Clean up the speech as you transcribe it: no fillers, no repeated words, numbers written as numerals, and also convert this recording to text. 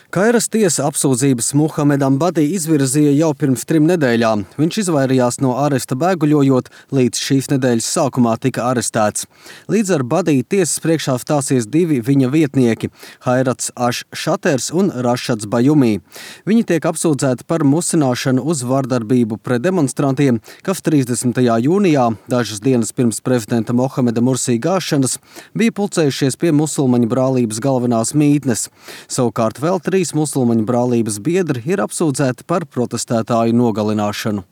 Kairas tiesa apsūdzības Muhamedam Badī izvirzīja jau pirms 3 nedēļām. Viņš izvairījās no aresta bēguļojot, līdz šīs nedēļas sākumā tika arestēts. Līdz ar Badī tiesas priekšā stāsies 2 viņa vietnieki – Hairats Aš-Šaters un Rašads Bajumī. Viņi tiek apsūdzēti par musināšanu uz vardarbību pret demonstrantiem, kas 30. jūnijā, dažas dienas pirms prezidenta Mohameda Mursī gāšanas, bija pulcējušies pie musulmaņu brālības galvenās mītnes. Savukārt vēl 3 musulmaņu brālības biedri ir apsūdzēti par protestētāju nogalināšanu.